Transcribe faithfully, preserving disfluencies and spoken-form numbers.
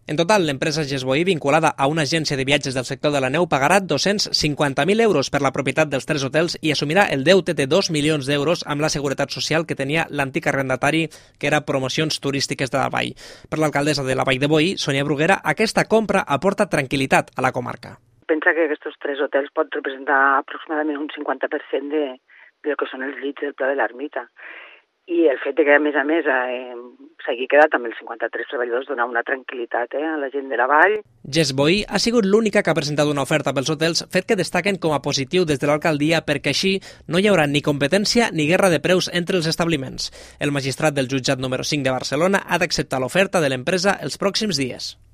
En total, l'empresa Gesboí, vinculada a una agència de viatges del sector de la neu, pagarà dos-cents cinquanta mil euros per la propietat dels tres hotels i assumirà el deute de dos milions d'euros amb la seguretat social que tenia l'antic arrendatari, que era Promocions Turístiques de la Vall. Per l'alcaldessa de la Vall de Boí, Sònia Bruguera, aquesta compra aporta tranquil·litat a la comarca. Pensa que aquests tres hotels pot representar aproximadament un cinquanta per cent de, del que són els llits del Pla de l'Ermita. I el fet de que, a més a més, eh, s'hagi quedat amb els cinquanta-tres treballadors dona una tranquil·litat eh, a la gent de la vall. Gesboí ha sigut l'única que ha presentat una oferta pels hotels, fet que destaquen com a positiu des de l'alcaldia perquè així no hi haurà ni competència ni guerra de preus entre els establiments. El magistrat del jutjat número cinc de Barcelona ha d'acceptar l'oferta de l'empresa els pròxims dies.